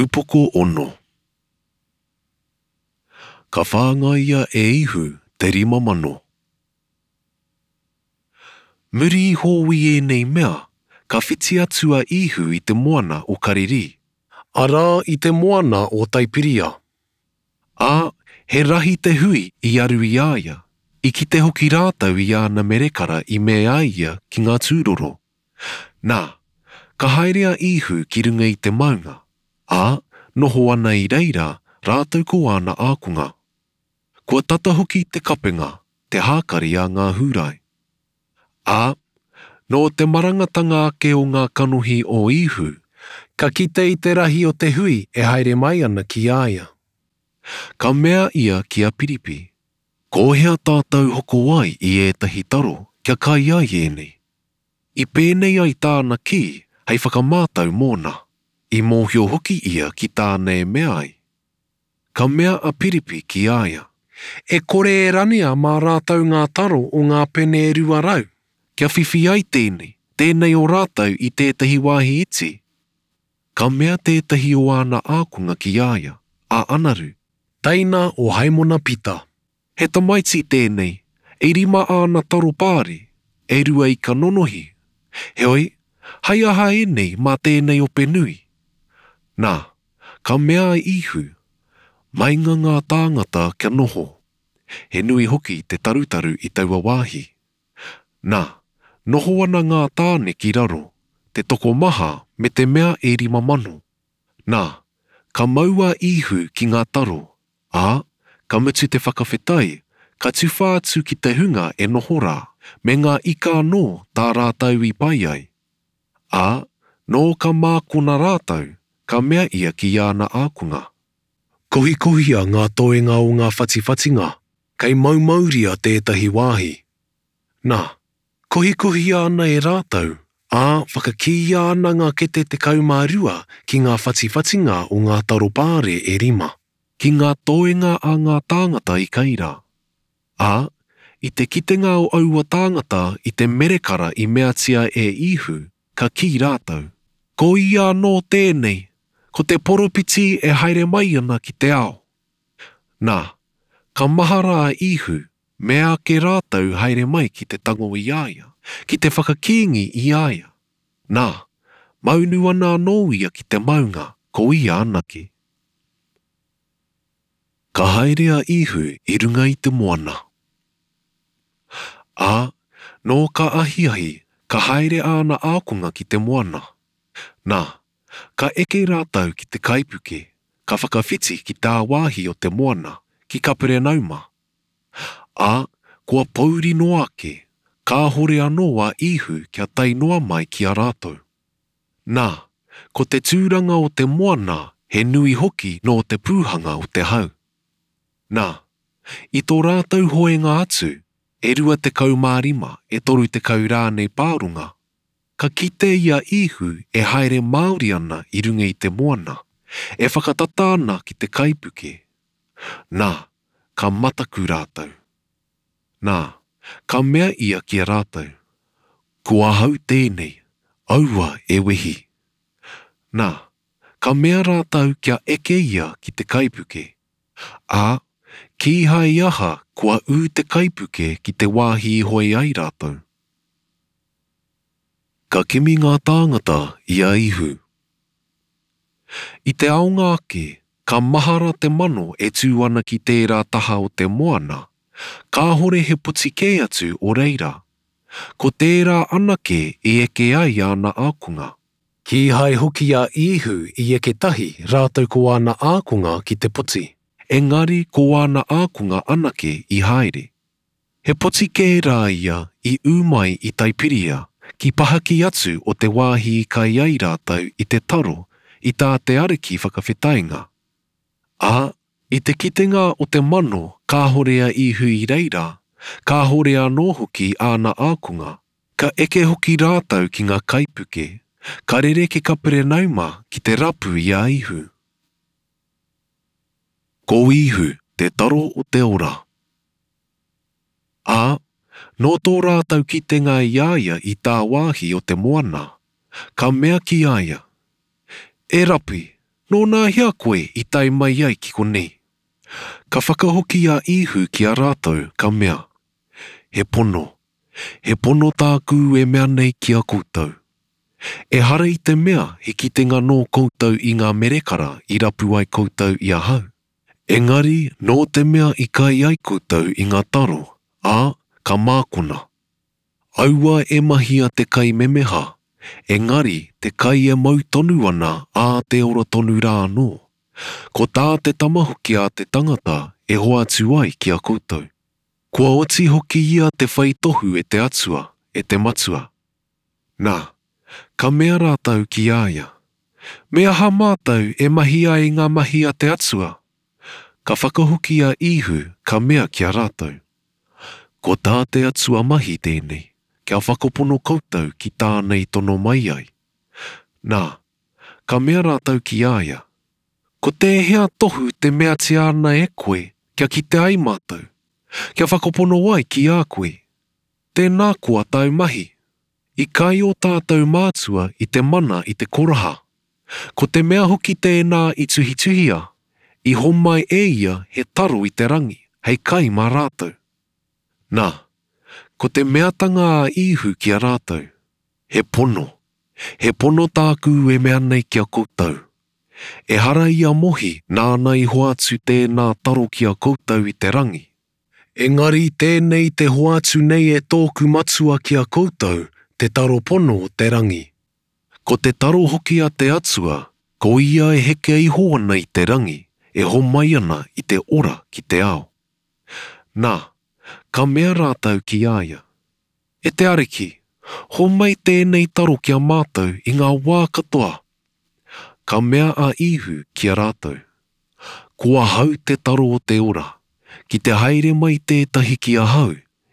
Upoko ono. Ka whāngaia e Ihu te 5000. Muri iho i ēnei mea, ka whiti atu a Ihu i te moana o Karirī. Arā i te moana o Taipiria. Ā, he rahi te hui i aru i a ia, i kite hoki rātou i āna merekara i mea ai ia ki ngā tūroro. Nā, ka haere a Īhu ki runga i te maunga, ā, noho ana i reira rātou ko āna ākonga. Kua tata hoki te kapenga, te hākari a ngā Hūrai. Ā, nō te marangatanga ake o ngā kanohi o Īhu, Ka kite i te rahi o te hui e haere mai ana ki a ia. Ka mea ia ki a Piripi, Ko hea tātou hoko ai i ētahi taro kia kai ai ēnei? I pēnei ai tāna kī hei whakamātau mōna, i mōhio hoki ia ki tāna e mea ai. Ka mea a Piripi ki a ia. E kore e ranea mā rātou ngā taro o ngā pene e 200. Kia whiwhi ai tēnei, tēnei o rātou i tētahi wāhi iti. Ka mea tētahi o āna ākonga ki a ia, a Anaru. Teina o Haimona Pita. He tamaiti tēnei, e rima āna taro pāri, e rua ika nonohi. Heoi, hei aha ēnei mā tēnei ope nui? Nā, ka mea a Īhu, Meinga ngā tāngata kia noho. He nui hoki te tarutaru i taua wāhi. Nā, noho ana ngā tāne ki raro, te tokomaha me te mea e 5000. Nā, ka mau a Īhu ki ngā taro, Ā, ka mutu te whakawhetai, ka tuwha atu ki te hunga e noho rā, me ngā ika anō tā rātou i pai ai. Ā, nō ka mākona rātou, ka mea ia ki āna ākonga. Kohikohia ngā toenga o ngā whatiwhatinga, kei maumauria tētahi wāhi. Nā, kohikohia ana e rātou, ā, whakakīia ana ngā kete 12 ki ngā whatiwhatinga o ngā taro pāre e rima. Ki ngā toenga a ngā tāngata i kai rā. Ā, i te kitenga o aua tāngata i te merekara i meatia e Īhu, ka kī rātou, Ko ia anō tēnei, ko te poropiti e haere mai ana ki te ao. Nā, ka mahara a Īhu, mea ake rātou haere mai ki te tango i a ia, ki te whakakīngi i a ia. Nā, maunu ana anō ia ki te maunga, ko ia anake. Ka haere a Īhu i runga i te moana. Ā, nō ka ahiahi, ka haere āna ākonga ki te moana. Nā, ka eke rātou ki te kaipuke, ka whakawhiti ki tāwāhi o te moana, ki Kaperenauma. Ā, kua pōuri noa ake, kāhore anō a Īhu kia tae noa mai ki a rātou. Nā, ko te tūranga o te moana he nui hoki nō te pūhanga o te hau. Nā, i tō rātou hoenga atu, e 25, e 30 rānei pāronga, ka kite i a Īhu e haere māori ana i runga i te moana, e whakatata ana ki te kaipuke. Nā, ka mataku rātou. Nā, ka mea ia ki a rātou, Ko ahau tēnei, aua e wehi. Nā, ka mea rātou kia eke ia ki te kaipuke. Ā, kīhai i aha kua ū te kaipuke ki te wāhi i hoe ai rātou. Ka kimi ngā tāngata i a Ihu. I te aonga ake, ka mahara te mano e tū ana ki tērā taha o te moana, kāhore he poti kē atu o reira. Ko tērā anake i eke ai āna ākonga. Kīhai hoki a Īhu i eke tahi rātou ko āna ākonga ki te poti. Engari ko āna ākonga anake i haere. He poti kē rā ia i ū mai i Taipiria, ki pahaki atu o te wāhi i kai ai rātou i te taro i tā te Ariki whakawhetainga. Ā, i te kitenga o te mano kāhore a Īhu i reira, kāhore anō hoki āna ākonga, ka eke hoki rātou ki ngā kaipuke, ka rere ki Kaperenauma ki te rapu i a Īhu. Ko Īhu te taro o te ora. Ā, nō tō rātou kitenga i a ia i tāwāhi o te moana, ka mea ki a ia, E Rapi, Nōnahea koe i tae mai ai ki konei? Ka whakahoki a Īhu ki a rātou, ka mea, He pono, he pono tāku e mea nei ki a koutou. Ehara i te mea he kitenga nō koutou i ngā merekara i rapu ai koutou i ahau, engari nō te mea i kai ai koutou i ngā taro, ā, ka mākona. Aua e mahia te kai memeha, engari te kai e mau tonu ana ā te ora tonu rā anō. Ko tā te Tama hoki a te tangata e hoatu ai ki a koutou. Kua oti hoki ia te whai tohu e te Atua, e te Matua. Nā, ka mea rātou ki a ia, Me aha mātou e mahi ai ngā mahi a te Atua? Ka whakahoki a Īhu, ka mea ki a rātou, Ko tā te Atua mahi tēnei, kia whakapono koutou ki tāna i tono mai ai. Nā, ka mea rātou ki a ia, Ko tēhea tohu te meatia ana e koe kia kite ai mātou, kia whakapono ai ki a koe? Tēnā koa tāu mahi. I kai ō tātou mātua i te mana i te koraha. Ko te mea hoki tēnā i tuhituhia, i homai e ia he taro i te rangi hei kai mā rātou. Nā, ko te meatanga a Īhu ki a rātou, He pono, he pono tāku e mea nei ki a koutou, Ehara i a Mohi nāna i hoatu tēnā taro ki a koutou i te rangi. Engari tēnei te hoatu nei e tōku Matua ki a koutou, te taro pono o te rangi. Ko te taro hoki a te Atua, ko ia e heke iho ana i te rangi, e homai ana i te ora ki te ao. Nā, ka mea rātou ki a ia, E te Ariki, homai tēnei taro ki a mātou i ngā wā katoa. Ka mea a Īhu ki a rātou, Ko ahau te taro o te ora, ki te haere mai tētahi ki ahau,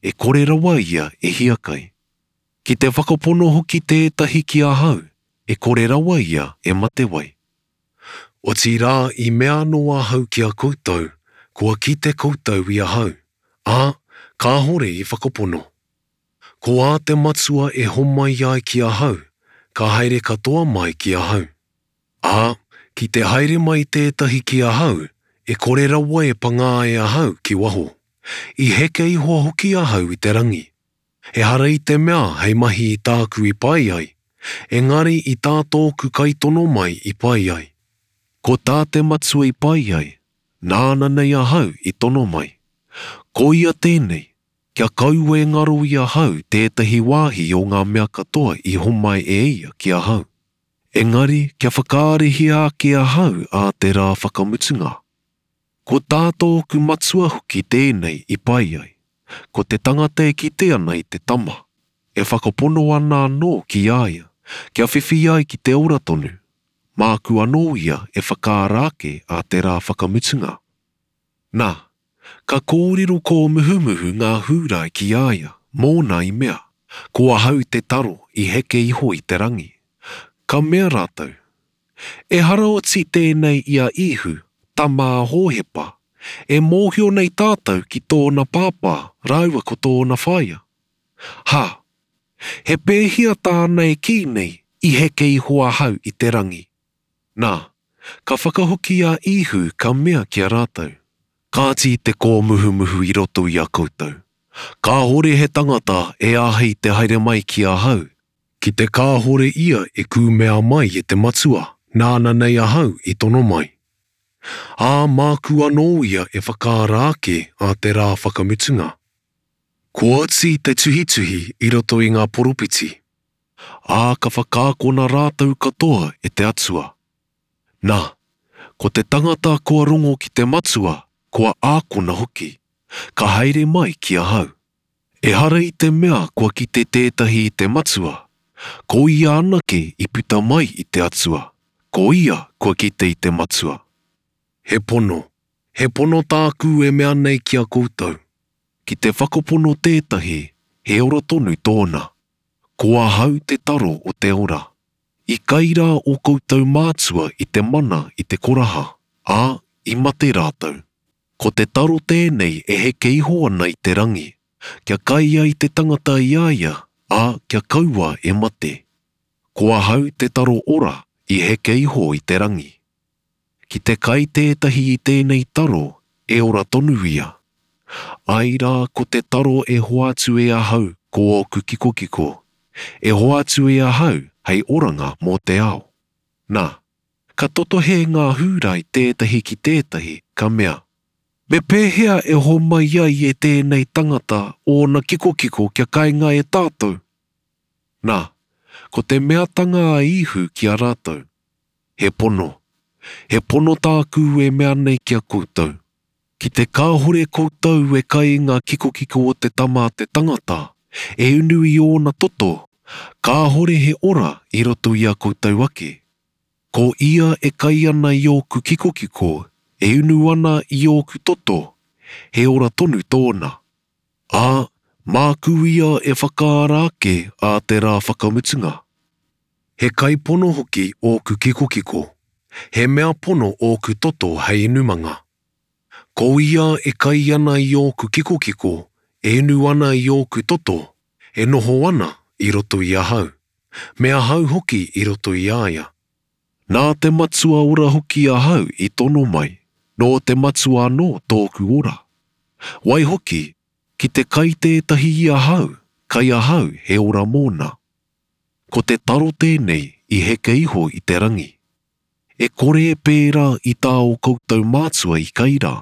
e kore rawa ia e hiakai. Ki te whakapono hoki tētahi ki ahau, e kore rawa ia e matewai. Otirā i mea anō ahau ki a koutou, kua kite koutou i ahau, ā, kāhore i whakapono. Ko ā te Matua e homai ai ki ahau, ka haere katoa mai ki ahau. Ā, ki te haere mai tētahi ki ahau, e kore rawa e pangā e ahau ki waho. I heke iho hoki ahau i te rangi. Ehara i te mea hei mahi i tāku i pai ai, engari i tā tōku kaitono mai i pai ai. Ko tā te Matua i pai ai, nāna nei ahau i tono mai. Ko ia tēnei, kia kaua e ngaro i ahau tētahi wāhi o ngā mea katoa i homai e ia ki ahau. Engari kia whakaarihia ake ahau ā te rā whakamutunga. Ko tā tōku Matua hoki tēnei i pai ai, ko te tangata e kite ana i te Tama, e whakapono ana anō ki a ia, kia whiwhi ai ki te ora tonu, māku anō ia e whakaara ake ā te rā whakamutunga. Nā, ka kōrero kōmuhumuhu ngā Hūrai ki a ia, mōna i mea, Ko ahau te taro i heke iho i te rangi. Ka mea rātou, Ehara oti tēnei i a Īhu, tama a Hōhepa, e mōhio nei tātou ki tōna pāpā rāua ko tōna whaea. Ha! He pēhea tāna e kī nei, I heke iho ahau i te rangi? Nā, ka whakahoki a Īhu ka mea ki a rātou, Kāti te kōmuhumuhu i roto i a koutou. Kāhore he tangata e āhei te haere mai ki ahau, Ki te kāhore ia e kūmea mai e te Matua, nāna nei ahau i tono mai. Ā, māku anō ia e whakaara ake ā te rā whakamutunga. Kua oti te tuhituhi i roto i ngā poropiti. Ā, ka whakaakona rātou katoa e te Atua. Nā, ko te tangata kua rongo ki te Matua, kua ākona hoki, ka haere mai ki ahau. Ehara i te mea kua kite tētahi i te Matua, ko ia anake i puta mai i te Atua, ko ia kua kite i te Matua. He pono, he pono tāku e mea nei ki a koutou. Ki te whakapono tētahi, he ora tonu tōna. Ko ahau te taro o te ora. I kai rā ō koutou mātua i te mana i te koraha, ā, i mate rātou. Ko te taro tēnei e heke iho ana i te rangi, kia kai ai te tangata i a ia, ā, kia kaua e mate. Ko ahau te taro ora i heke iho i te rangi. Ki te kai tētahi i tēnei taro, e ora tonu ia. Ai rā ko te taro e hoatu e ahau ko ōku kikokiko, e hoatu e ahau hei oranga mō te ao. Nā, ka totohe ngā Hūrai tētahi ki tētahi, ka mea, Me pēhea e homai ai e tēnei tangata ōna kikokiko kia kainga e tātou? Nā, ko te meatanga a Īhu ki a rātou, He pono, he pono tāku e mea nei ki a koutou, ki te kāhore koutou e kai i ngā kikokiko o te Tama a te tangata, e unu i ōna toto, kāhore he ora i roto i a koutou ake. Ko ia e kai ana i ōku kikokiko, e unu ana i ōku toto, he ora tonu tōna. Ā, māku ia e whakaara ake ā te rā whakamutunga. He kai pono hoki ōku kikokiko, he mea pono ōku toto hei inumanga. Ko ia e kai ana i ōku kikokiko, e inu ana i ōku toto, e noho ana i roto i ahau. Me ahau hoki i roto i a ia. Nā te Matua ora hoki ahau i tono mai, nō te Matua anō tōku ora. Waihoki, ki te kai tētahi i ahau, kai ahau he ora mōna. Ko te taro tēnei i heke iho i te rangi. E kore e pērā i tā ō koutou mātua i kai rā,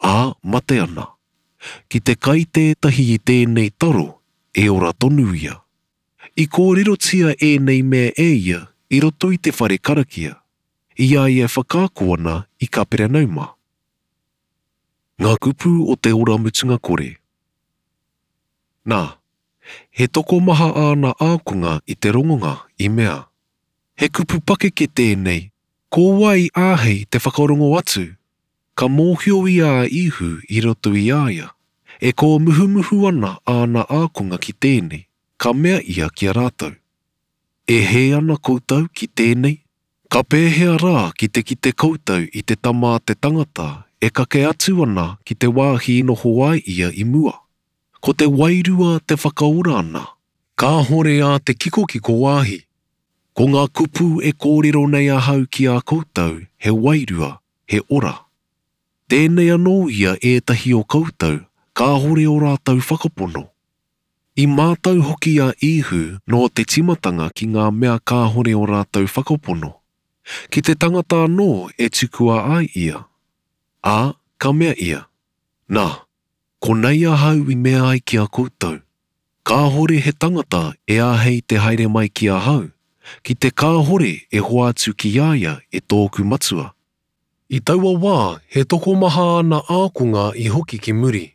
ā, mate ana. Ki te kai tētahi i tēnei taro, e ora tonu ia. I kōrerotia ēnei mea e ia i roto i te whare karakia, i a ia e whakaako ana i Kaperenauma. Ngā kupu o te ora mutunga kore. Nā, he tokomaha āna ākonga i te rongonga i mea, He kupu pakeke tēnei, ko wai āhei te whakarongo atu? Ka mōhio ia a Īhu i roto i a ia, e kōmuhumuhu ana āna ākonga ki tēnei. Ka mea ia ki a rātou, E hē ana koutou ki tēnei? Ka pēhea rā ki te kite koutou i te Tama a te tangata e kake atu ana ki te wāhi i noho ai ia i mua? Ko te Wairua te whakaora ana. Kāhore ā te kikokiko wāhi. Ko ngā kupu e kōrero nei ahau ki a koutou he wairua, he ora. Tēnei anō ia ētahi o koutou kāhore ō rātou whakapono. I mātau hoki a Īhu nō te tīmatanga ki ngā mea kāhore ō rātou whakapono, ki te tangata anō e tukua ai ia. Ā, ka mea ia, Nā, konei ahau i mea ai ki a koutou, kāhore he tangata e āhei te haere mai ki ahau, ki te kāhore e hoatu ki a ia e tōku Matua. I taua wā he tokomaha ana ākonga i hoki ki muri.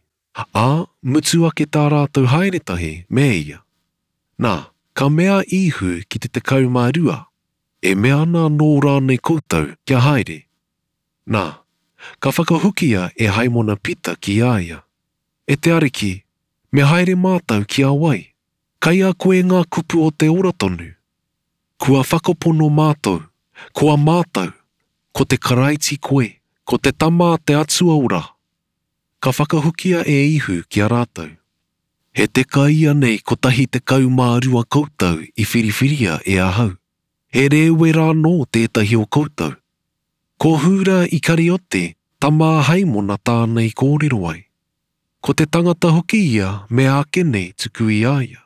Ā, mutu ake tā rātou haere tahi me ia. Nā, ka mea a Īhu ki te 12, E mea ana anō rānei koutou kia haere? Nā, ka whakahokia e Haimona Pita ki a ia, E te Ariki, me haere mātou ki a wai? Kei a koe ngā kupu o te ora tonu. Kua whakapono mātou, kua mātau, ko te Karaiti koe, ko te Tama a te Atua ora. Ka whakahokia e Ihu ki a rātou, He teka ianei 12 koutou i whiriwhiria e ahau, he rēwera anō tētahi o koutou? Ko Hūra Ikariote, tama a Haimona tāna i kōrero ai. Ko te tangata hoki ia mea ake nei tuku i a ia,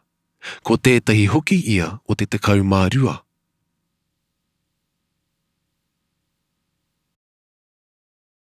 ko tētahi hoki ia o te 12.